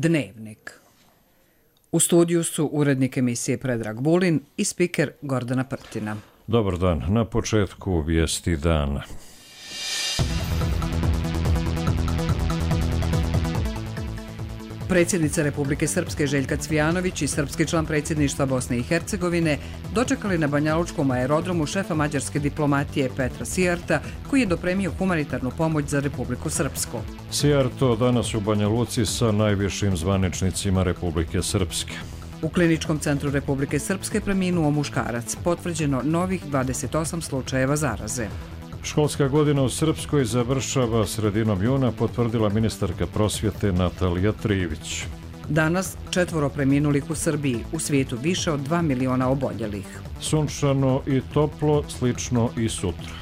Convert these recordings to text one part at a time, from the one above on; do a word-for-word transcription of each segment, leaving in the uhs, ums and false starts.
Dnevnik. U studiju su urednik emisije Predrag Bulin i spiker Gordana Prtina. Dobar dan. Na početku vijesti dana. Predsjednica Republike Srpske Željka Cvijanović i srpski član predsjedništva Bosne i Hercegovine dočekali na banjalučkom aerodromu šefa mađarske diplomatije Petra Sijarta, koji je dopremio humanitarnu pomoć za Republiku Srpsku. Sijarto danas u Banja Luci sa najvišim zvaničnicima Republike Srpske. U Kliničkom centru Republike Srpske preminuo muškarac, potvrđeno novih dvadeset osam slučajeva zaraze. Školska godina u Srpskoj završava sredinom juna, potvrdila ministarka prosvjete Natalija Trivić. Danas četvoro preminulih u Srbiji, u svijetu više od dva miliona oboljelih. Sunčano i toplo, slično i sutra.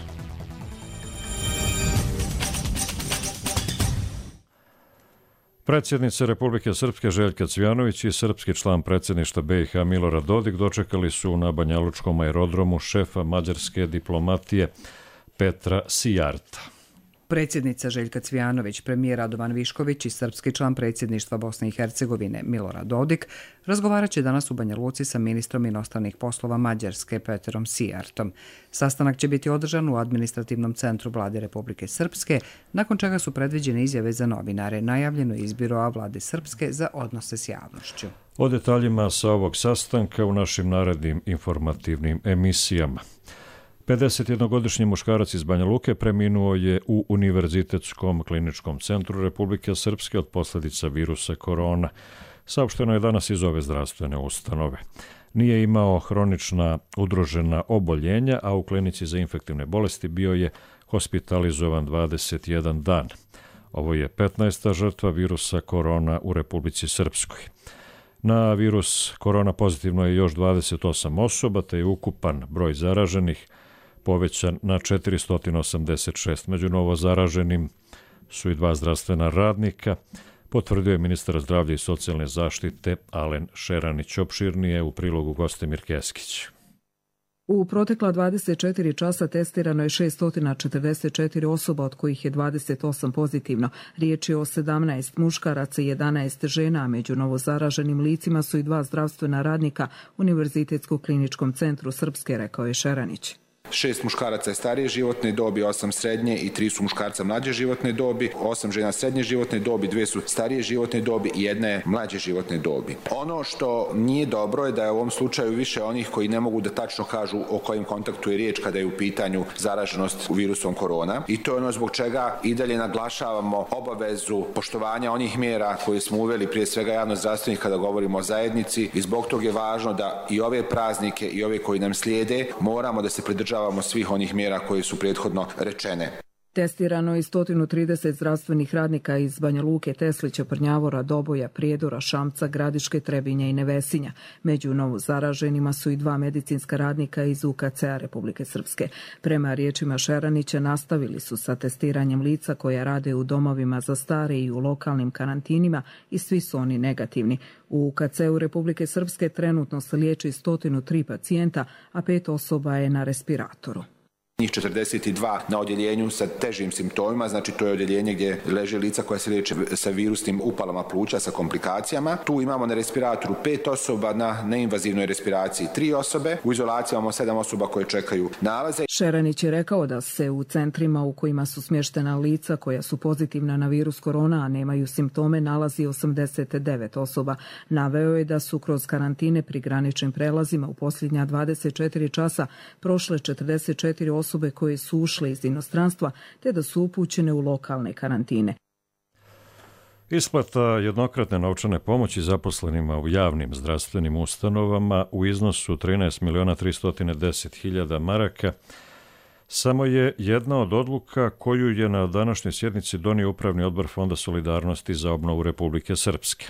Predsjednica Republike Srpske Željka Cvijanović i srpski član predsjedništva B i H Milorad Dodik dočekali su na banjalučkom aerodromu šefa mađarske diplomatije Petra Sijarta. Predsjednica Željka Cvijanović, premijer Radovan Višković i srpski član predsjedništva Bosne i Hercegovine Milorad Dodik razgovarat će danas u Banja Luci sa ministrom inostranih poslova Mađarske Petrom Sijartom. Sastanak će biti održan u administrativnom centru Vlade Republike Srpske, nakon čega su predviđene izjave za novinare. Najavljeno je iz biroa Vlade Srpske za odnose s javnošću. O detaljima sa ovog sastanka u našim narednim informativnim emisijama. pedesetjednogodišnji muškarac iz Banja Luke preminuo je u Univerzitetskom kliničkom centru Republike Srpske od posljedica virusa korona. Saopšteno je danas iz ove zdravstvene ustanove. Nije imao hronična udružena oboljenja, a u klinici za infektivne bolesti bio je hospitalizovan dvadeset jedan dan. Ovo je petnaesta žrtva virusa korona u Republici Srpskoj. Na virus korona pozitivno je još dvadeset osam osoba, te je ukupan broj zaraženih povećan na četiristo osamdeset šest. Među novo zaraženim su i dva zdravstvena radnika, potvrdio je ministar zdravlja i socijalne zaštite Alen Šeranić. Opširnije u prilogu Gostemir Keskić. U protekla dvadeset četiri časa testirano je šesto četrdeset četiri osoba, od kojih je dvadeset osam pozitivno. Riječ je o sedamnaest muškaraca i jedanaest žena, a među novozaraženim licima su i dva zdravstvena radnika Univerzitetskog kliničkom centru Srpske, rekao je Šeranić. Šest muškaraca je starije životne dobi, osam srednje i tri su muškarca mlađe životne dobi, osam žena srednje životne dobi, dvije su starije životne dobi i jedna je mlađe životne dobi. Ono što nije dobro je da je u ovom slučaju više onih koji ne mogu da tačno kažu o kojem kontaktu je riječ kada je u pitanju zaraženost virusom korona, i to je ono zbog čega i dalje naglašavamo obavezu poštovanja onih mjera koje smo uveli, prije svega javnozdravstvenih, kada govorimo o zajednici, i zbog toga je važno da i ove praznike i ove koji nam slijede moramo da se pridržavamo svih onih mjera koje su prethodno rečene. Testirano je sto trideset zdravstvenih radnika iz Banja Luke, Teslića, Prnjavora, Doboja, Prijedora, Šamca, Gradiške, Trebinja i Nevesinja. Među novozaraženima su i dva medicinska radnika iz U K C-a Republike Srpske. Prema riječima Šeranića, nastavili su sa testiranjem lica koja rade u domovima za stare i u lokalnim karantinima i svi su oni negativni. U U K C-u Republike Srpske trenutno se liječi sto tri pacijenta, a pet osoba je na respiratoru. Njih četrdeset dva na odjeljenju sa težim simptomima, znači to je odjeljenje gdje leže lica koja se liječe sa virusnim upalama pluća sa komplikacijama. Tu imamo na respiratoru pet osoba, na neinvazivnoj respiraciji tri osobe, u izolaciji imamo sedam osoba koje čekaju nalaze. Šeranić je rekao da se u centrima u kojima su smještena lica koja su pozitivna na virus korona, a nemaju simptome, nalazi osamdeset devet osoba. Naveo je da su kroz karantine pri graničnim prelazima u posljednja dvadeset četiri časa prošle četrdeset četiri osobe osobe koje su ušle iz inostranstva, te da su upućene u lokalne karantine. Isplata jednokratne novčane pomoći zaposlenima u javnim zdravstvenim ustanovama u iznosu trinaest miliona tristo deset hiljada maraka samo je jedna od odluka koju je na današnjoj sjednici donio Upravni odbor Fonda solidarnosti za obnovu Republike Srpske.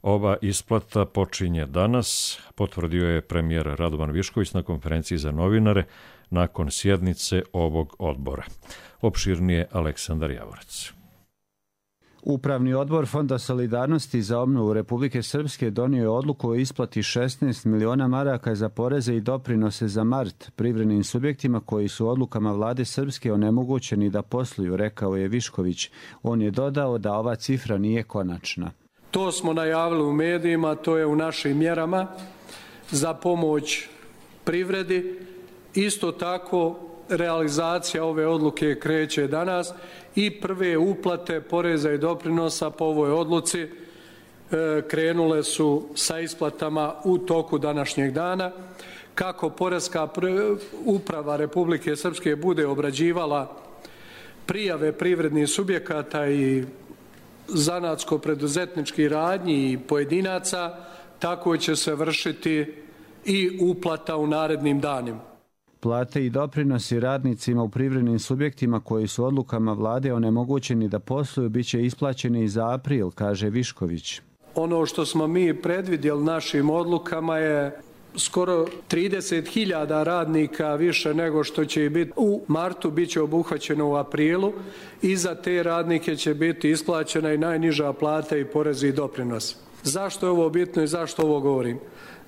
Ova isplata počinje danas, potvrdio je premijer Radovan Višković na konferenciji za novinare nakon sjednice ovog odbora. Opširnije Aleksandar Javorac. Upravni odbor Fonda solidarnosti za obnovu Republike Srpske donio je odluku o isplati šesnaest miliona maraka za poreze i doprinose za mart privrednim subjektima koji su odlukama vlade Srpske onemogućeni da posluju, rekao je Višković. On je dodao da ova cifra nije konačna. To smo najavili u medijima, to je u našim mjerama za pomoć privredi. Isto tako realizacija ove odluke kreće danas i prve uplate poreza i doprinosa po ovoj odluci krenule su sa isplatama u toku današnjeg dana. Kako Poreska uprava Republike Srpske bude obrađivala prijave privrednih subjekata i zanatsko-preduzetničkih radnji i pojedinaca, tako će se vršiti i uplata u narednim danima. Plate i doprinosi radnicima u privrednim subjektima koji su odlukama vlade onemogućeni da posluju biće isplaćeni i za april, kaže Višković. Ono što smo mi predvidjeli našim odlukama je skoro trideset hiljada radnika više nego što će biti u martu, bit će obuhvaćeno u aprilu i za te radnike će biti isplaćena i najniža plata i porezi i doprinos. Zašto je ovo bitno i zašto ovo govorim?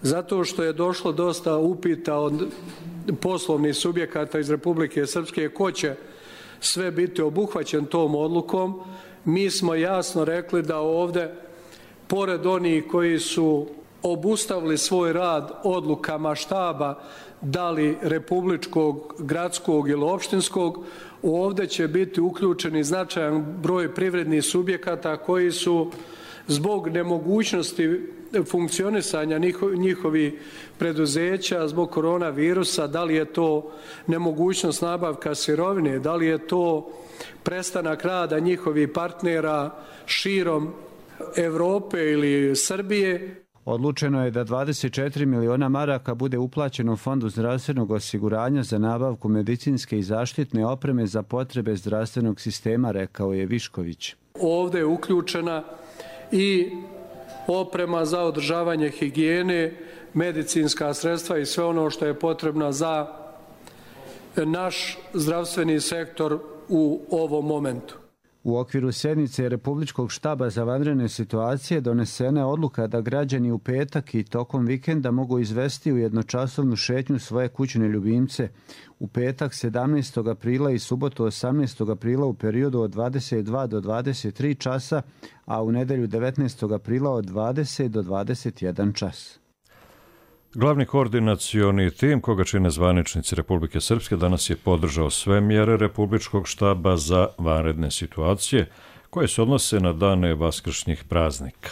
Zato što je došlo dosta upita od poslovnih subjekata iz Republike Srpske ko će sve biti obuhvaćen tom odlukom. Mi smo jasno rekli da ovdje, pored onih koji su obustavili svoj rad odlukama štaba, da li republičkog, gradskog ili opštinskog, ovdje će biti uključeni značajan broj privrednih subjekata koji su zbog nemogućnosti funkcionisanja njihovih preduzeća zbog koronavirusa, da li je to nemogućnost nabavka sirovine, da li je to prestanak rada njihovih partnera širom Evrope ili Srbije. Odlučeno je da dvadeset četiri miliona maraka bude uplaćeno Fondu zdravstvenog osiguranja za nabavku medicinske i zaštitne opreme za potrebe zdravstvenog sistema, rekao je Višković. Ovdje je uključena i oprema za održavanje higijene, medicinska sredstva i sve ono što je potrebno za naš zdravstveni sektor u ovom momentu. U okviru sjednice Republičkog štaba za vanredne situacije donesena je odluka da građani u petak i tokom vikenda mogu izvesti u jednočasovnu šetnju svoje kućne ljubimce. U petak sedamnaestog aprila i subotu osamnaestog aprila u periodu od dvadeset dva do dvadeset tri časa, a u nedelju devetnaestog aprila od dvadeset do dvadeset jedan čas. Glavni koordinacioni tim, koga čine zvaničnici Republike Srpske, danas je podržao sve mjere Republičkog štaba za vanredne situacije koje se odnose na dane vaskršnjih praznika.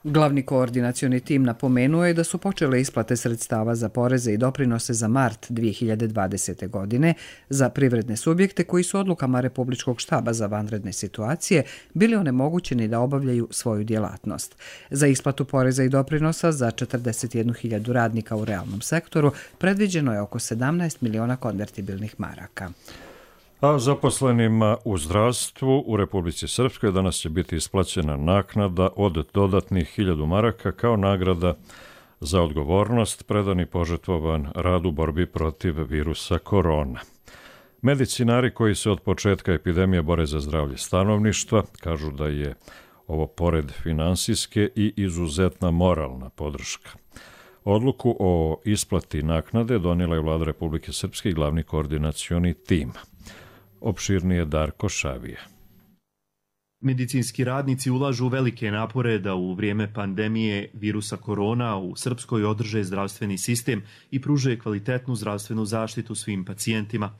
Glavni koordinacioni tim napomenuo je da su počele isplate sredstava za poreze i doprinose za mart dvije hiljade dvadesete. godine za privredne subjekte koji su odlukama Republičkog štaba za vanredne situacije bili onemogućeni da obavljaju svoju djelatnost. Za isplatu poreza i doprinosa za četrdeset jednu hiljadu radnika u realnom sektoru predviđeno je oko sedamnaest miliona konvertibilnih maraka. A zaposlenima u zdravstvu u Republici Srpskoj danas će biti isplaćena naknada od dodatnih hiljadu maraka kao nagrada za odgovornost, predan i požrtvovan rad u borbi protiv virusa korona. Medicinari koji se od početka epidemije bore za zdravlje stanovništva kažu da je ovo pored finansijske i izuzetna moralna podrška. Odluku o isplati naknade donijela je Vlada Republike Srpske i glavni koordinacioni tim. Opširnije Darko Šavije. Medicinski radnici ulažu velike napore da u vrijeme pandemije virusa korona u Srpskoj održe zdravstveni sistem i pruže kvalitetnu zdravstvenu zaštitu svim pacijentima.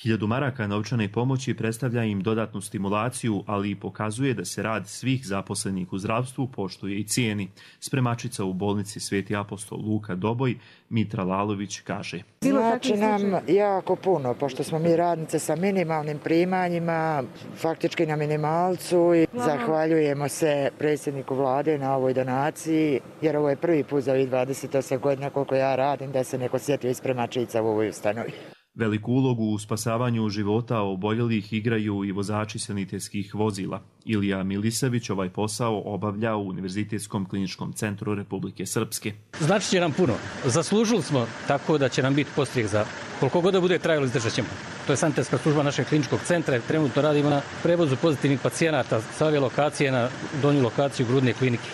Hiljadu maraka novčane pomoći predstavlja im dodatnu stimulaciju, ali i pokazuje da se rad svih zaposlenih u zdravstvu poštuje i cijeni. Spremačica u bolnici Sveti apostol Luka Doboj, Mitra Lalović, kaže. Znači nam jako puno, pošto smo mi radnice sa minimalnim primanjima, faktički na minimalcu, i zahvaljujemo se predsjedniku vlade na ovoj donaciji, jer ovo je prvi put za ovih dvadeset osam godina koliko ja radim da se neko sjetio iz spremačica u ovoj ustanovi. Veliku ulogu u spasavanju života oboljelih igraju i vozači sanitetskih vozila. Ilija Milisević ovaj posao obavlja u Univerzitetskom kliničkom centru Republike Srpske. Znači će nam puno. Zaslužili smo tako da će nam biti postrijek za koliko god da bude trajalo, izdržat ćemo. To je sanitetska služba našeg kliničkog centra. Trenutno radimo na prevozu pozitivnih pacijenata sa ove lokacije na donju lokaciju Grudne klinike.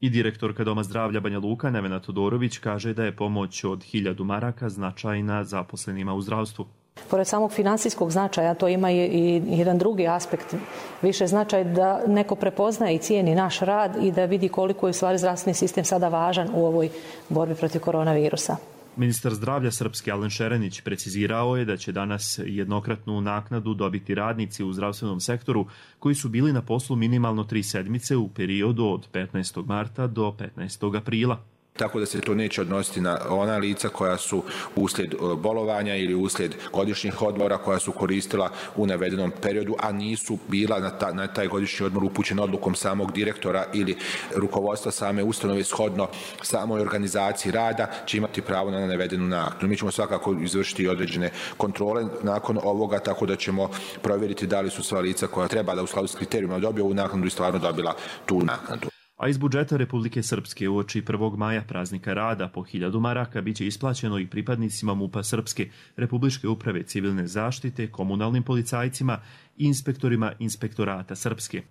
I direktorka Doma zdravlja Banja Luka Nevena Todorović kaže da je pomoć od hiljadu maraka značajna zaposlenima u zdravstvu. Pored samog financijskog značaja, to ima i jedan drugi aspekt, više značaj da neko prepoznaje i cijeni naš rad i da vidi koliko je u stvari zdravstveni sistem sada važan u ovoj borbi protiv koronavirusa. Ministar zdravlja Srpske Alen Šerenić precizirao je da će danas jednokratnu naknadu dobiti radnici u zdravstvenom sektoru koji su bili na poslu minimalno tri sedmice u periodu od petnaestog marta do petnaestog aprila. Tako da se to neće odnositi na ona lica koja su uslijed bolovanja ili uslijed godišnjih odmora koja su koristila u navedenom periodu, a nisu bila na, ta, na taj godišnji odmor upućena odlukom samog direktora ili rukovodstva same ustanove shodno samoj organizaciji rada, će imati pravo na navedenu naknadu. Mi ćemo svakako izvršiti određene kontrole nakon ovoga, tako da ćemo provjeriti da li su sva lica koja treba da u skladu s kriterijima dobiju ovu naknadu i stvarno dobila tu naknadu. A iz budžeta Republike Srpske uoči prvog maja praznika rada po hiljadu maraka biće isplaćeno i pripadnicima MUP-a Srpske, Republičke uprave civilne zaštite, komunalnim policajcima i inspektorima Inspektorata Srpske.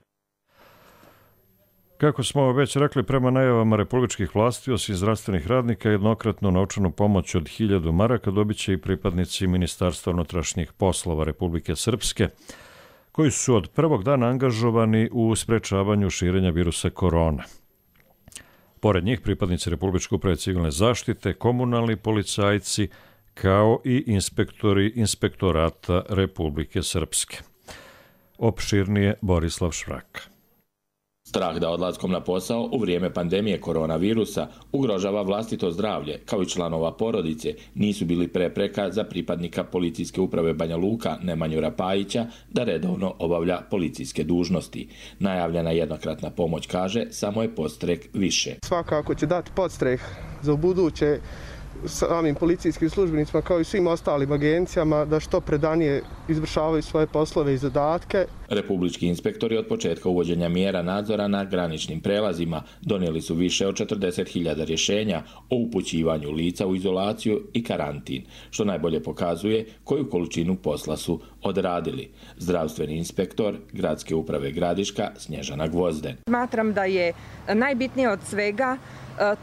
Kako smo već rekli, prema najavama republičkih vlasti, osim zdravstvenih radnika, jednokratnu novčanu pomoć od hiljadu maraka dobit će i pripadnici Ministarstva unutrašnjih poslova Republike Srpske, koji su od prvog dana angažovani u sprečavanju širenja virusa korona. Pored njih, pripadnici Republičke uprave civilne zaštite, komunalni policajci, kao i inspektori Inspektorata Republike Srpske. Opširnije Borislav Švraka. Strah da odlaskom na posao u vrijeme pandemije koronavirusa ugrožava vlastito zdravlje, kao i članova porodice, nisu bili prepreka za pripadnika Policijske uprave Banja Luka Nemanju Rapajića da redovno obavlja policijske dužnosti. Najavljena jednokratna pomoć, kaže, samo je podstrek više. Svakako će dati podstrek za ubuduće samim policijskim službenicima kao i svim ostalim agencijama da što predanije izvršavaju svoje poslove i zadatke. Republički inspektori od početka uvođenja mjera nadzora na graničnim prelazima donijeli su više od četrdeset hiljada rješenja o upućivanju lica u izolaciju i karantin, što najbolje pokazuje koju količinu posla su odradili. Zdravstveni inspektor Gradske uprave Gradiška Snježana Gvozden. Smatram da je najbitnije od svega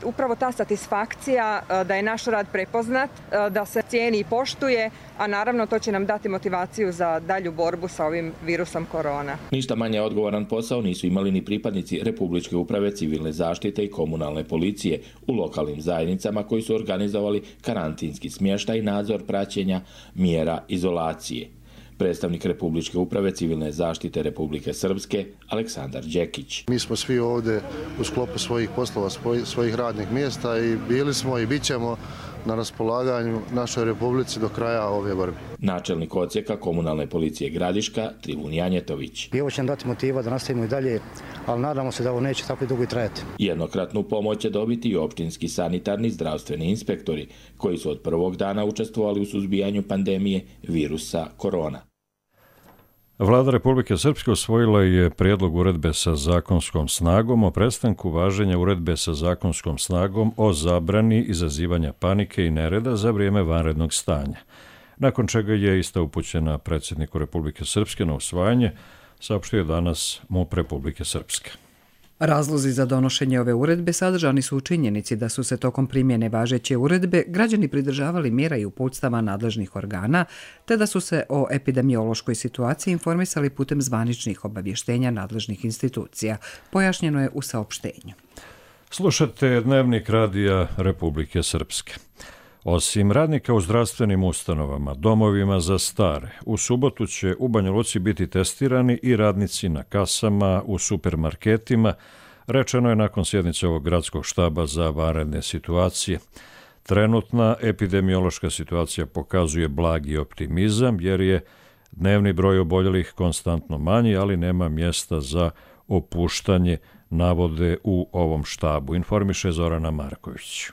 upravo ta satisfakcija da je naš rad prepoznat, da se cijeni i poštuje, a naravno to će nam dati motivaciju za dalju borbu sa ovim virusom korona. Ništa manje odgovoran posao nisu imali ni pripadnici Republičke uprave civilne zaštite i komunalne policije u lokalnim zajednicama koji su organizovali karantinski smještaj i nadzor praćenja mjera izolacije. Predstavnik Republičke uprave civilne zaštite Republike Srpske Aleksandar Đekić. Mi smo svi ovdje u sklopu svojih poslova, svojih radnih mjesta i bili smo i bit ćemo na raspolaganju našoj Republici do kraja ove borbe. Načelnik odsjeka komunalne policije Gradiška Trivun Janjetović. I ovo će nam dati motiva da nastavimo i dalje, ali nadamo se da ovo neće tako i dugo i trajati. Jednokratnu pomoć će dobiti i općinski sanitarni zdravstveni inspektori, koji su od prvog dana učestvovali u suzbijanju pandemije virusa korona. Vlada Republike Srpske usvojila je prijedlog uredbe sa zakonskom snagom o prestanku važenja uredbe sa zakonskom snagom o zabrani izazivanja panike i nereda za vrijeme vanrednog stanja, nakon čega je ista upućena predsjedniku Republike Srpske na usvajanje, saopštio je danas MUP Republike Srpske. Razlozi za donošenje ove uredbe sadržani su u činjenici da su se tokom primjene važeće uredbe građani pridržavali mjera i uputstava nadležnih organa, te da su se o epidemiološkoj situaciji informisali putem zvaničnih obavještenja nadležnih institucija, pojašnjeno je u saopštenju. Slušate Dnevnik radija Republike Srpske. Osim radnika u zdravstvenim ustanovama, domovima za stare, u subotu će u Banja Luci biti testirani i radnici na kasama, u supermarketima, rečeno je nakon sjednice ovog gradskog štaba za vanredne situacije. Trenutna epidemiološka situacija pokazuje blagi optimizam jer je dnevni broj oboljelih konstantno manji, ali nema mjesta za opuštanje, navode u ovom štabu, informiše Zorana Marković.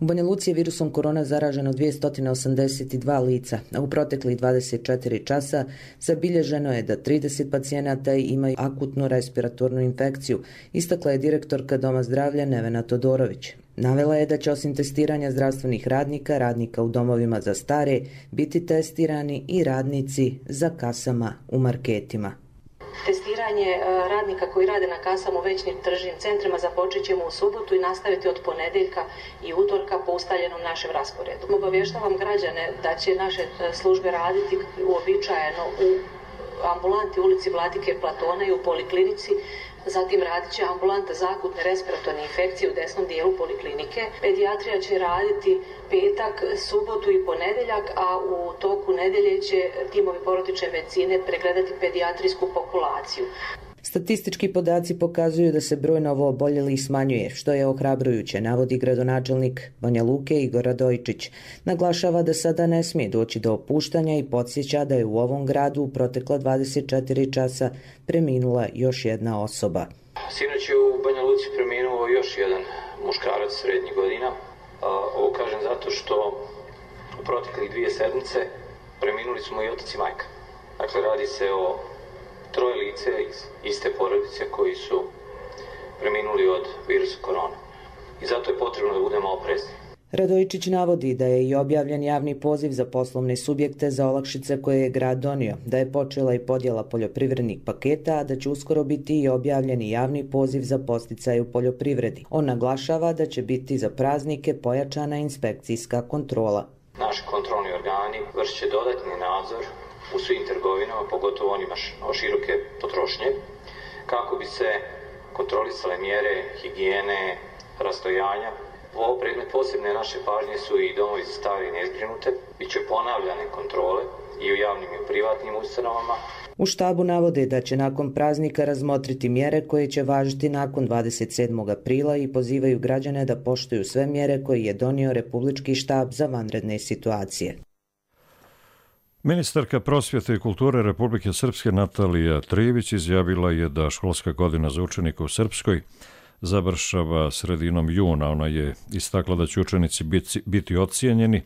U Banja Luci je virusom korona zaraženo dvjesto osamdeset dva lica, a u proteklih dvadeset četiri časa zabilježeno je da trideset pacijenata imaju akutnu respiratornu infekciju, istakla je direktorka Doma zdravlja Nevena Todorović. Navela je da će osim testiranja zdravstvenih radnika, radnika u domovima za stare, biti testirani i radnici za kasama u marketima. Testiranje Izdvajanje radnika koji rade na kasama u većim tržnim centrima započet ćemo u subotu i nastaviti od ponedjeljka i utorka po ustaljenom našem rasporedu. Obavještavam građane da će naše službe raditi uobičajeno u ambulanti ulici Vladike Platona i u poliklinici. Zatim radit će ambulanta za akutne respiratorne infekcije u desnom dijelu poliklinike. Pedijatrija će raditi petak, subotu i ponedjeljak, a u toku nedjelje će timovi porodične medicine pregledati pedijatrijsku populaciju. Statistički podaci pokazuju da se broj novooboljelih smanjuje, što je ohrabrujuće, navodi gradonačelnik Banja Luke Igor Radojičić. Naglašava da sada ne smije doći do opuštanja i podsjeća da je u ovom gradu u protekla dvadeset četiri časa preminula još jedna osoba. Sinoć je u Banja Luci preminuo još jedan muškarac srednjih godina. Ovo kažem zato što u proteklih dvije sedmice preminuli smo i otac i majka. Dakle, radi se o troje lice iz iste porodice koji su preminuli od virusa korona. I zato je potrebno da budemo oprezni. Radojičić navodi da je i objavljen javni poziv za poslovne subjekte za olakšice koje je grad donio, da je počela i podjela poljoprivrednih paketa, a da će uskoro biti i objavljen i javni poziv za podsticaj u poljoprivredi. On naglašava da će biti za praznike pojačana inspekcijska kontrola. Naši kontrolni organi vršit će dodatni nadzor u svim trgovinama, pogotovo onima široke potrošnje, kako bi se kontrolisale mjere higijene, rastojanja. Ovo predmet posebne naše pažnje su i domovi za stare i nezbrinute. Biće ponavljane kontrole i u javnim i u privatnim ustanovama. U štabu navode da će nakon praznika razmotriti mjere koje će važiti nakon dvadeset sedmog aprila i pozivaju građane da poštuju sve mjere koje je donio Republički štab za vanredne situacije. Ministarka prosvjete i kulture Republike Srpske Natalija Trijević izjavila je da školska godina za učenike u Srpskoj završava sredinom juna. Ona je istakla da će učenici biti, biti ocijenjeni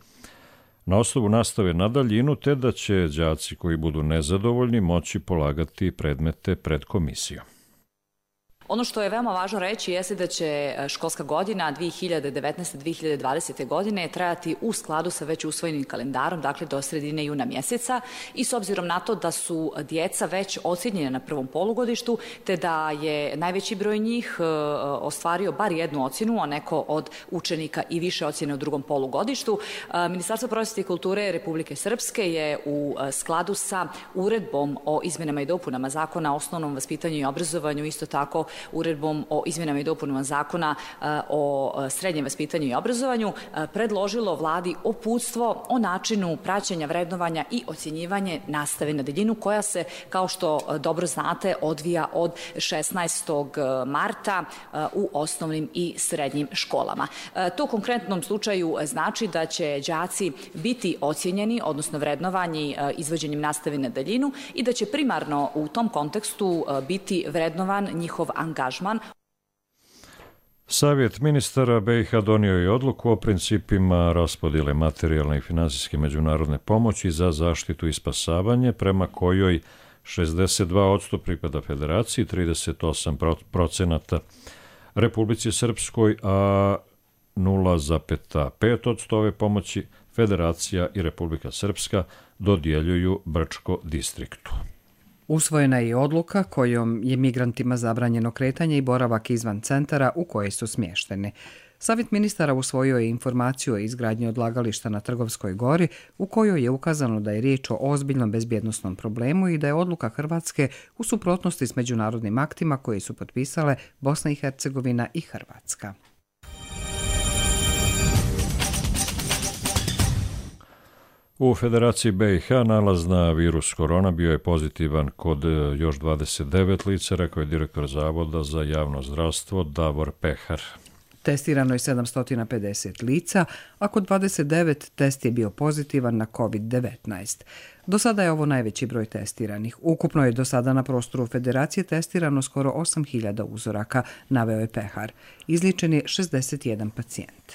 na osnovu nastave na daljinu, te da će đaci koji budu nezadovoljni moći polagati predmete pred komisijom. Ono što je veoma važno reći jeste da će školska godina dvije hiljade devetnaeste dvije hiljade dvadesete. godine trajati u skladu sa već usvojenim kalendarom, dakle do sredine juna mjeseca, i s obzirom na to da su djeca već ocjenjena na prvom polugodištu, te da je najveći broj njih ostvario bar jednu ocjenu, a neko od učenika i više ocjene u drugom polugodištu, Ministarstvo prosvjete i kulture Republike Srpske je u skladu sa uredbom o izmjenama i dopunama Zakona o osnovnom vaspitanju i obrazovanju, isto tako uredbom o izmjenama i dopunama Zakona o srednjem vaspitanju i obrazovanju, predložilo vladi uputstvo o načinu praćenja, vrednovanja i ocjenjivanje nastave na daljinu, koja se, kao što dobro znate, odvija od šesnaestog marta u osnovnim i srednjim školama. To u konkretnom slučaju znači da će đaci biti ocjenjeni, odnosno vrednovani izvođenjem nastave na daljinu, i da će primarno u tom kontekstu biti vrednovan njihov angažman. Savjet ministara B i H donio je odluku o principima raspodjele materijalne i finansijske međunarodne pomoći za zaštitu i spasavanje, prema kojoj šezdeset dva posto pripada Federaciji, trideset osam procenata Republici Srpskoj, a nula zarez pet posto ove pomoći Federacija i Republika Srpska dodjeljuju Brčko distriktu. Usvojena je odluka kojom je migrantima zabranjeno kretanje i boravak izvan centara u koje su smješteni. Savjet ministara usvojio je informaciju o izgradnji odlagališta na Trgovskoj gori, u kojoj je ukazano da je riječ o ozbiljnom bezbjednosnom problemu i da je odluka Hrvatske u suprotnosti s međunarodnim aktima koje su potpisale Bosna i Hercegovina i Hrvatska. U Federaciji B i H nalaz na virus korona bio je pozitivan kod još dvadeset devet lica, rekao je direktor Zavoda za javno zdravstvo Davor Pehar. Testirano je sedamsto pedeset lica, a kod dvadeset devet test je bio pozitivan na kovid devetnaest. Do sada je ovo najveći broj testiranih. Ukupno je do sada na prostoru Federacije testirano skoro osam hiljada uzoraka, naveo je Pehar. Izliječen je šezdeset jedan pacijent.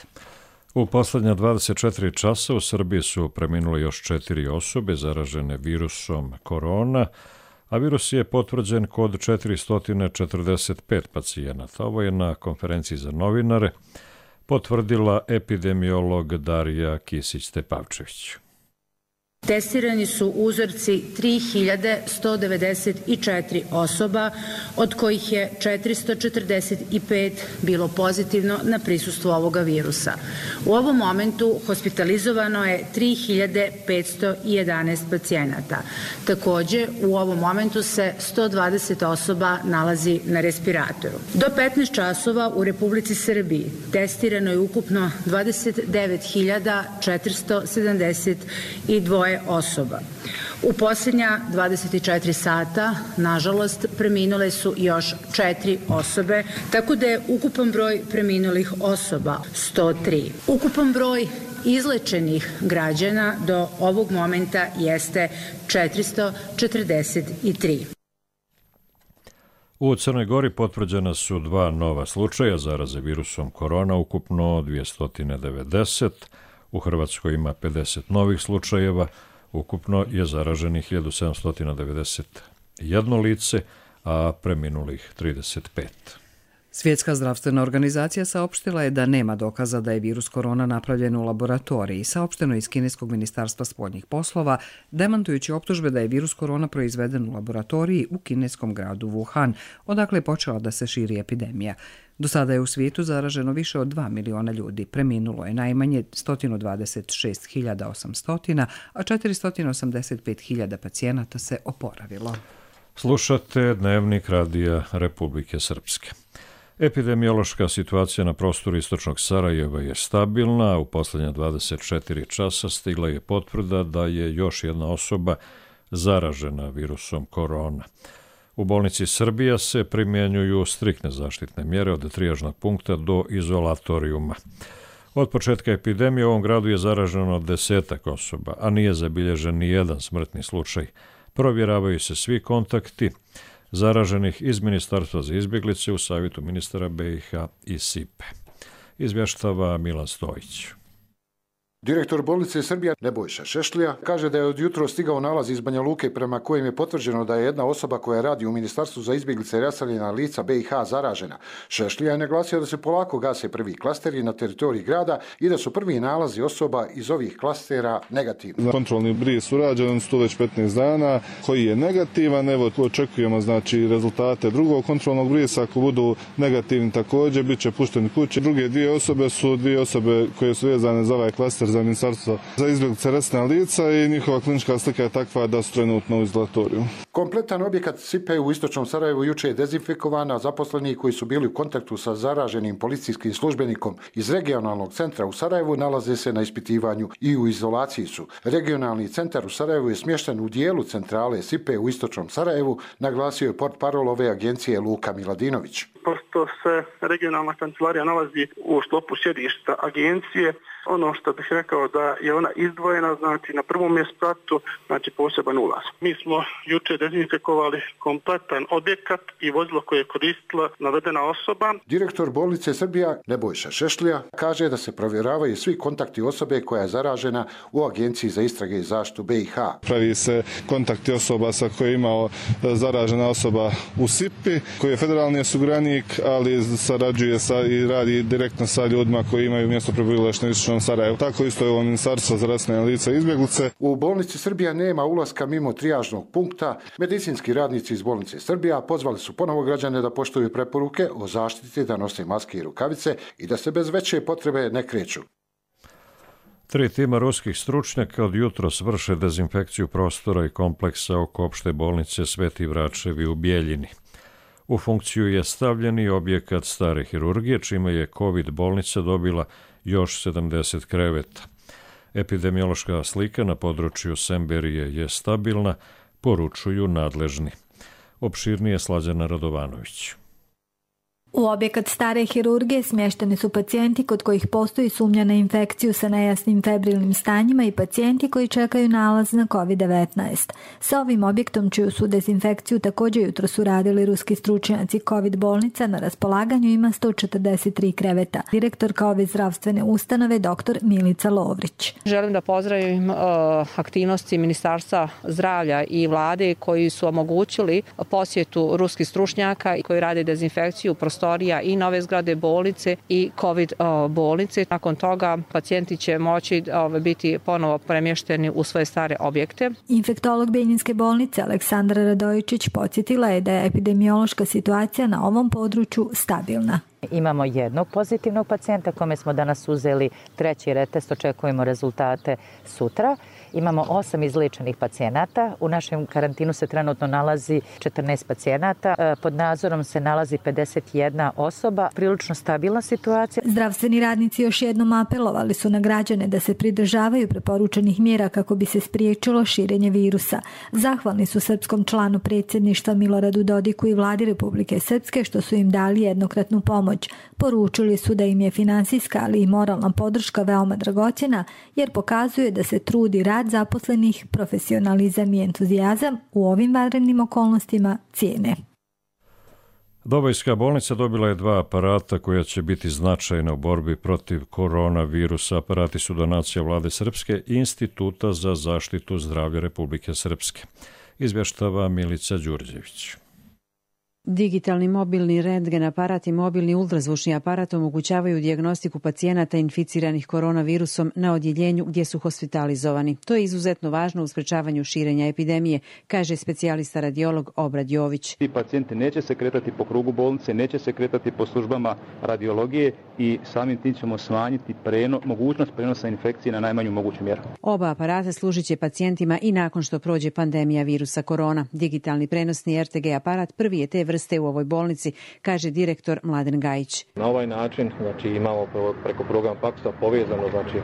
U posljednja dvadeset četiri časa u Srbiji su preminule još četiri osobe zaražene virusom korona, a virus je potvrđen kod četiristo četrdeset pet pacijenata. Ovo je na konferenciji za novinare potvrdila epidemiolog Darija Kisić-Tepavčević. Testirani su uzorci tri hiljade sto devedeset četiri osoba, od kojih je četiristo četrdeset pet bilo pozitivno na prisustvo ovoga virusa. U ovom momentu hospitalizovano je tri hiljade petsto jedanaest pacijenata. Takođe, u ovom momentu se sto dvadeset osoba nalazi na respiratoru. Do petnaest časova u Republici Srbiji testirano je ukupno dvadeset devet hiljada četiristo sedamdeset dva osoba. U posljednja dvadeset četiri sata, nažalost, preminule su još četiri osobe, tako da je ukupan broj preminulih osoba sto tri. Ukupan broj izlečenih građana do ovog momenta jeste četiristo četrdeset tri. U Crnoj Gori potvrđena su dva nova slučaja zaraze virusom korona, ukupno dvjesto devedeset. U Hrvatskoj ima pedeset novih slučajeva, ukupno je zaraženih hiljadu sedamsto devedeset jedno lice, a preminulih trideset pet. Svjetska zdravstvena organizacija saopštila je da nema dokaza da je virus korona napravljen u laboratoriji, saopšteno iz Kineskog ministarstva spoljnih poslova, demantujući optužbe da je virus korona proizveden u laboratoriji u kineskom gradu Wuhan, odakle je počela da se širi epidemija. Do sada je u svijetu zaraženo više od dva miliona ljudi, preminulo je najmanje sto dvadeset šest hiljada osamsto, a četiristo osamdeset pet hiljada pacijenata se oporavilo. Slušate Dnevnik radija Republike Srpske. Epidemiološka situacija na prostoru istočnog Sarajeva je stabilna, a u posljednja dvadeset četiri časa stigla je potvrda da je još jedna osoba zaražena virusom korona. U bolnici Srbija se primjenjuju striktne zaštitne mjere od trijažnog punkta do izolatorijuma. Od početka epidemije u ovom gradu je zaraženo desetak osoba, a nije zabilježen ni jedan smrtni slučaj. Provjeravaju se svi kontakti zaraženih iz Ministarstva za izbjeglice u savjetu ministara B i H i Sipe. Izvještava Milan Stojić. Direktor bolnice Srbija Nebojša Šešlija kaže da je od jutro stigao nalaz iz Banja Luke prema kojem je potvrđeno da je jedna osoba koja radi u Ministarstvu za izbjeglice i raseljena lica B i H zaražena. Šešlija je naglasio da se polako gase prvi klasteri na teritoriji grada i da su prvi nalazi osoba iz ovih klastera negativni. Kontrolni bris urađen sto već petnaest dana koji je negativan. Evo očekujemo znači rezultate drugog kontrolnog brisa. Ako budu negativni također bit će pušteni kući. Druge dvije osobe su dvije osobe koje su vezane za ovaj klaster za Ministarstvo za izbjeglice i raseljena lica i njihova klinička slika je takva da su trenutno u izolatoriju. Kompletan objekat Sipe u istočnom Sarajevu juče je dezinfikovan, a zaposleni koji su bili u kontaktu sa zaraženim policijskim službenikom iz regionalnog centra u Sarajevu nalaze se na ispitivanju i u izolaciji su. Regionalni centar u Sarajevu je smješten u dijelu centrale Sipe u istočnom Sarajevu, naglasio je portparol ove agencije Luka Miladinović. Pošto se regionalna kancelarija nalazi u sklopu sjedišta agencije, ono što bih rekao da je ona izdvojena, znači na prvom je spratu, znači poseban ulaz. Mi smo juče dezinfikovali kompletan objekat i vozilo koje je koristila navedena osoba. Direktor bolnice Srbija Nebojša Šešlija kaže da se provjeravaju svi kontakti osobe koja je zaražena u Agenciji za istrage i zaštitu B i H. Pravi se kontakti osoba sa koje je imao zaražena osoba u Sipi, koji je federalni osiguranik, ali sarađuje sa i radi direktno sa ljudima koji imaju mjesto prebivališta na istočnom Sarajevu. Tako isto je ovo Ministarstvo za raseljena lica i izbjeglice. U bolnici Srbija nema ulaska mimo trijažnog punkta. Medicinski radnici iz bolnice Srbija pozvali su ponovo građane da poštuju preporuke o zaštiti, da nose maske i rukavice i da se bez veće potrebe ne kreću. Tri tima ruskih stručnjaka od jutros vrše dezinfekciju prostora i kompleksa oko opšte bolnice Sveti Vračevi u Bijeljini. U funkciju je stavljen i objekat stare hirurgije, čime je COVID bolnica dobila još sedamdeset kreveta. Epidemiološka slika na području Semberije je stabilna, poručuju nadležni. Opširnije Slađana Radovanović. U objekat stare hirurgije smješteni su pacijenti kod kojih postoji sumnja na infekciju sa nejasnim febrilnim stanjima i pacijenti koji čekaju nalaz na kovid devetnaest. Sa ovim objektom, čiju su dezinfekciju također jutro su radili ruski stručnjaci, COVID bolnica na raspolaganju ima sto četrdeset tri kreveta. Direktorka ove zdravstvene ustanove dr. Milica Lovrić. Želim da pozdravim uh, aktivnosti Ministarstva zdravlja i vlade koji su omogućili posjetu ruskih stručnjaka i koji rade dezinfekciju prostora prostorija i nove zgrade bolnice i COVID bolnice. Nakon toga pacijenti će moći biti ponovo premješteni u svoje stare objekte. Infektolog Benjinske bolnice Aleksandra Radojičić podsjetila je da je epidemiološka situacija na ovom području stabilna. Imamo jednog pozitivnog pacijenta kome smo danas uzeli treći retest, očekujemo rezultate sutra. Imamo osam izliječenih pacijenata. U našem karantinu se trenutno nalazi četrnaest pacijenata. Pod nadzorom se nalazi pedeset jedna osoba. Prilično stabilna situacija. Zdravstveni radnici još jednom apelovali su na građane da se pridržavaju preporučenih mjera kako bi se spriječilo širenje virusa. Zahvalni su srpskom članu predsjedništva Miloradu Dodiku i vladi Republike Srpske što su im dali jednokratnu pomoć. Poručili su da im je finansijska, ali i moralna podrška veoma dragocjena jer pokazuje da se trudi rad zaposlenih, profesionalizam i entuzijazam u ovim vanrednim okolnostima cijene. Dobojska bolnica dobila je dva aparata koja će biti značajna u borbi protiv koronavirusa. Aparati su donacija vlade Srpske i Instituta za zaštitu zdravlja Republike Srpske. Izvještava Milica Đurđević. Digitalni mobilni rentgen aparat i mobilni ultrazvučni aparat omogućavaju dijagnostiku pacijenata inficiranih koronavirusom na odjeljenju gdje su hospitalizovani. To je izuzetno važno u sprečavanju širenja epidemije, kaže specijalista radiolog Obrad Jović. Ti pacijenti neće se kretati po krugu bolnice, neće se kretati po službama radiologije i samim tim ćemo smanjiti preno, mogućnost prenosa infekcije na najmanju moguću mjeru. Oba aparata služit će pacijentima i nakon što prođe pandemija virusa korona. Digitalni prenosni er te ge aparat prvi je te vrste u ovoj bolnici, kaže direktor Mladen Gajić. Na ovaj način znači, imamo preko programa paksa povezano znači,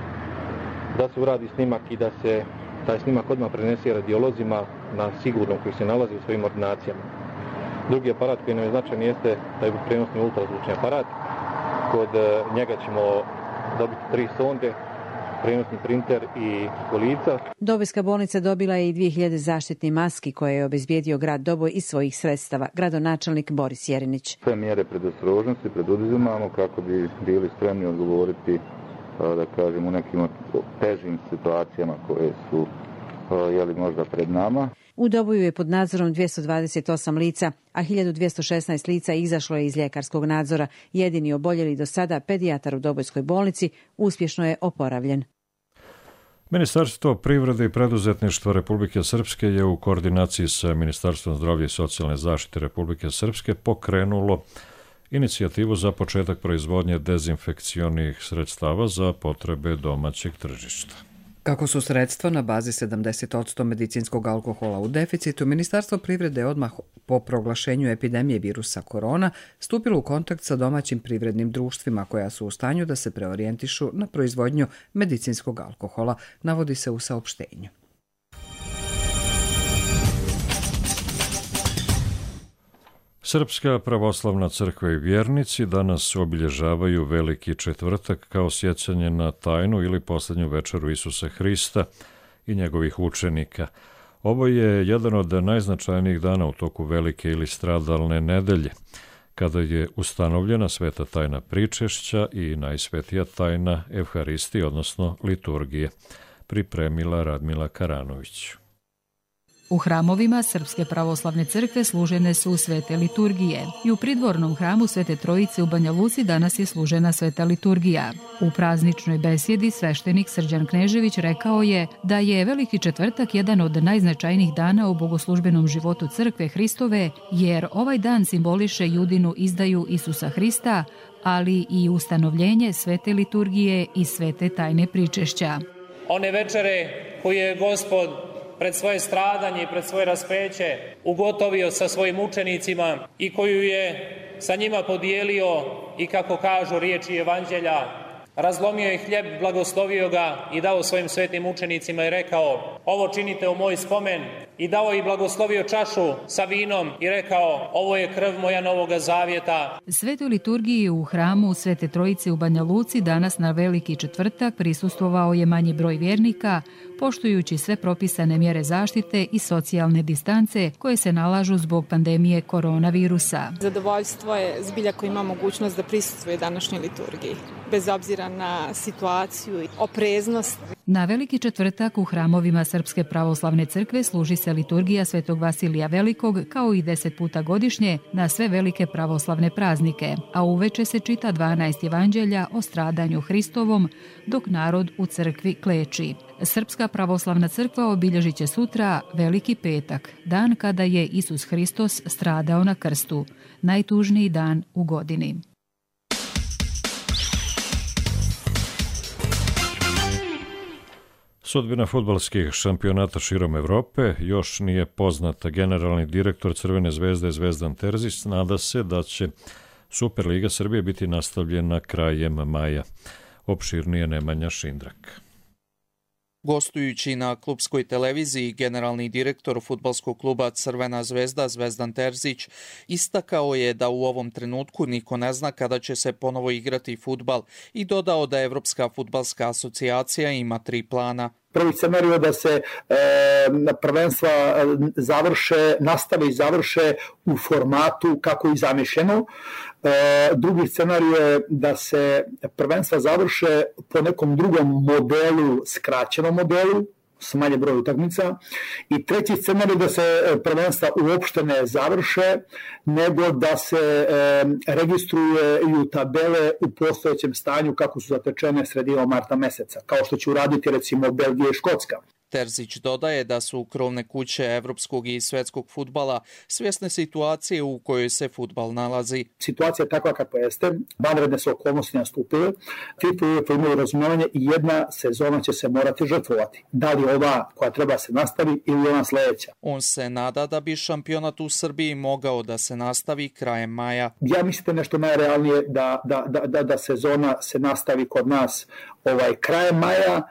da se uradi snimak i da se taj snimak odmah prenese radiolozima na sigurnom koji se nalazi u svojim ordinacijama. Drugi aparat koji nam je značajan jeste taj prenosni ultrazvučni aparat. Kod njega ćemo dobiti tri sonde, prenosni printer i kolica. Dobojska bolnica dobila je i dvije hiljade zaštitnih maski koje je obezbijedio grad Doboj iz svojih sredstava, gradonačelnik Boris Jerinić. Sve mjere predostrožnosti preduzimamo kako bi bili spremni odgovoriti da kažem, u nekim težim situacijama koje su jeli možda pred nama. U Doboju je pod nadzorom dvjesto dvadeset osam lica, a hiljadu dvjesto šesnaest lica izašlo je iz ljekarskog nadzora. Jedini oboljeli do sada, pedijatar u Dobojskoj bolnici, uspješno je oporavljen. Ministarstvo privrede i preduzetništva Republike Srpske je u koordinaciji sa Ministarstvom zdravlja i socijalne zaštite Republike Srpske pokrenulo inicijativu za početak proizvodnje dezinfekcionih sredstava za potrebe domaćeg tržišta. Kako su sredstva na bazi sedamdeset posto medicinskog alkohola u deficitu, Ministarstvo privrede odmah po proglašenju epidemije virusa korona stupilo u kontakt sa domaćim privrednim društvima koja su u stanju da se preorijentišu na proizvodnju medicinskog alkohola, navodi se u saopštenju. Srpska pravoslavna crkva i vjernici danas obilježavaju Veliki četvrtak kao sjećanje na tajnu ili posljednju večeru Isusa Hrista i njegovih učenika. Ovo je jedan od najznačajnijih dana u toku Velike ili stradalne nedelje, kada je ustanovljena sveta tajna pričešća i najsvetija tajna Evharistije, odnosno liturgije, pripremila Radmila Karanović. U hramovima Srpske pravoslavne crkve služene su svete liturgije i u pridvornom hramu Svete Trojice u Banja Luci danas je služena sveta liturgija. U prazničnoj besjedi sveštenik Srđan Knežević rekao je da je Veliki četvrtak jedan od najznačajnijih dana u bogoslužbenom životu crkve Hristove, jer ovaj dan simboliše Judinu izdaju Isusa Hrista, ali i ustanovljenje svete liturgije i svete tajne pričešća. One večere koje je Gospod pred svoje stradanje i pred svoje raspeće ugotovio sa svojim učenicima i koju je sa njima podijelio i, kako kažu riječi evanđelja, razlomio je hljeb, blagoslovio ga i dao svojim svetim učenicima i rekao: ovo činite u moj spomen, i dao i blagoslovio čašu sa vinom i rekao: ovo je krv moja novoga zavjeta. Svetoj liturgiji u hramu Svete Trojice u Banja Luci danas na Veliki četvrtak prisustvovao je manji broj vjernika, poštujući sve propisane mjere zaštite i socijalne distance koje se nalažu zbog pandemije koronavirusa. Zadovoljstvo je zbilja ko ima mogućnost da prisustvuje današnjoj liturgiji, bez obzira na situaciju i opreznost. Na Veliki četvrtak u hramovima Srpske pravoslavne crkve služi se liturgija Svetog Vasilija Velikog kao i deset puta godišnje na sve velike pravoslavne praznike, a uveče se čita dvanaest evanđelja o stradanju Hristovom, dok narod u crkvi kleči. Srpska pravoslavna crkva obilježit će sutra Veliki petak, dan kada je Isus Hristos stradao na krstu, najtužniji dan u godini. Sudbina fudbalskih šampionata širom Evrope još nije poznata. Generalni direktor Crvene zvezde Zvezdan Terzić nada se da će Superliga Srbije biti nastavljena krajem maja. Opširnije Nemanja Šindrak. Gostujući na klubskoj televiziji, generalni direktor fudbalskog kluba Crvena zvezda Zvezdan Terzić istakao je da u ovom trenutku niko ne zna kada će se ponovo igrati fudbal i dodao da Evropska fudbalska asocijacija ima tri plana. Prvi scenarij je da se e, prvenstva završe, nastave i završe u formatu kako je zamišljeno. E, drugi scenarij je da se prvenstva završe po nekom drugom modelu, skraćenom modelu, s manje broja utakmica. I treći scenarij da se prvenstva uopšte ne završe, nego da se e, registruju tabele u postojećem stanju kako su zatečene sredinom marta meseca, kao što će uraditi recimo Belgija i Škotska. Terzić dodaje da su krovne kuće evropskog i svetskog fudbala svjesne situacije u kojoj se fudbal nalazi. Situacija je takva kakva jeste, vanredne su okolnosti nastupile, FIFA i UEFA imaju razumijevanje i jedna sezona će se morati žrtvovati. Da li ova koja treba se nastavi ili ona sljedeća. On se nada da bi šampionat u Srbiji mogao da se nastavi krajem maja. Ja mislim da je nešto najrealnije da, da, da, da, da sezona se nastavi kod nas ovaj krajem maja.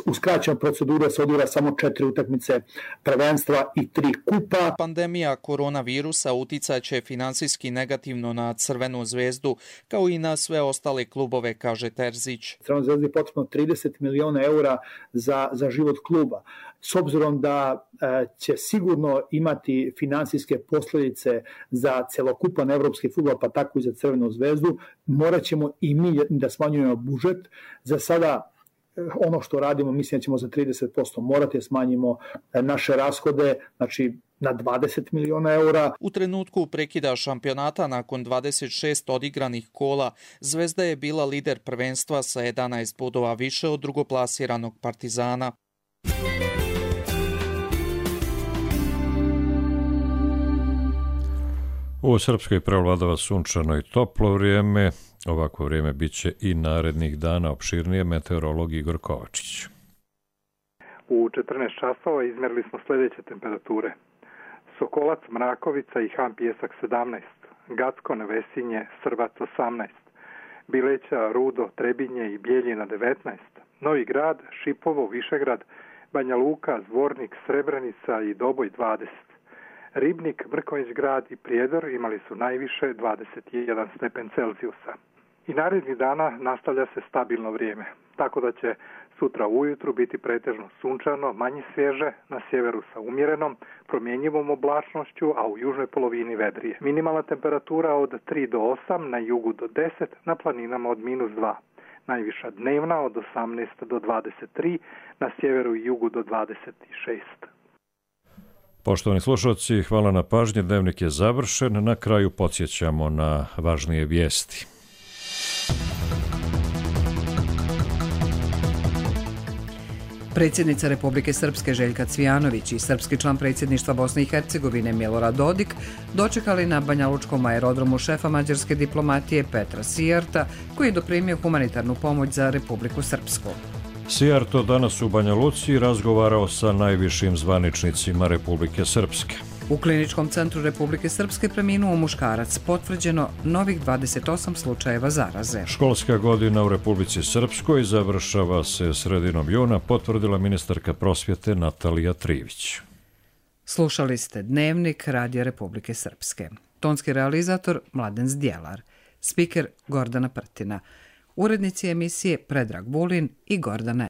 U skraćenoj proceduri se odigra samo četiri utakmice prvenstva i tri kupa. Pandemija koronavirusa uticaće finansijski negativno na Crvenu zvezdu, kao i na sve ostale klubove, kaže Terzić. Crvenoj zvezdi je potrebno trideset miliona eura za, za život kluba. S obzirom da e, će sigurno imati finansijske posljedice za celokupan evropski fudbal, pa tako i za Crvenu zvezdu, morat ćemo i mi da smanjujemo budžet. Za sada ono što radimo, mislim da ćemo za trideset posto morati smanjimo naše rashode, znači na dvadeset miliona eura. U trenutku prekida šampionata nakon dvadeset šest odigranih kola, Zvezda je bila lider prvenstva sa jedanaest bodova više od drugoplasiranog Partizana. U Srpskoj prevladava sunčano i toplo vrijeme. Ovako vrijeme bit će i narednih dana. Opširnije meteorolog Igor Kovačić. U četrnaest časova izmerili smo sljedeće temperature. Sokolac, Mrakovica i Han Pjesak sedamnaest, Gacko, Nevesinje, Srbac osamnaest, Bileća, Rudo, Trebinje i Bijeljina devetnaest, Novi Grad, Šipovo, Višegrad, Banja Luka, Zvornik, Srebrenica i Doboj dvadeset. Ribnik, Mrkonjić grad i Prijedor imali su najviše dvadeset jedan stepen Celzijusa. I narednih dana nastavlja se stabilno vrijeme, tako da će sutra ujutru biti pretežno sunčano, manje svježe, na sjeveru sa umjerenom, promjenjivom oblačnošću, a u južnoj polovini vedrije. Minimalna temperatura od tri do osam, na jugu do deset, na planinama od minus dva. Najviša dnevna od osamnaest do dvadeset tri, na sjeveru i jugu do dvadeset šest. Poštovani slušalci, hvala na pažnji. Dnevnik je završen. Na kraju podsjećamo na važnije vijesti. Predsjednica Republike Srpske Željka Cvijanović i srpski član predsjedništva Bosne i Hercegovine Milorad Dodik dočekali na banjalučkom aerodromu šefa mađarske diplomatije Petra Sijarta, koji je doprimio humanitarnu pomoć za Republiku Srpsku. Sijarto danas u Banja Luci razgovarao sa najvišim zvaničnicima Republike Srpske. U Kliničkom centru Republike Srpske preminuo muškarac, potvrđeno novih dvadeset osam slučajeva zaraze. Školska godina u Republici Srpskoj završava se sredinom juna, potvrdila ministarka prosvjete Natalija Trivić. Slušali ste Dnevnik Radija Republike Srpske. Tonski realizator Mladen Zdjelar. Spiker Gordana Prtina. Urednici emisije Predrag Bulin i Gordana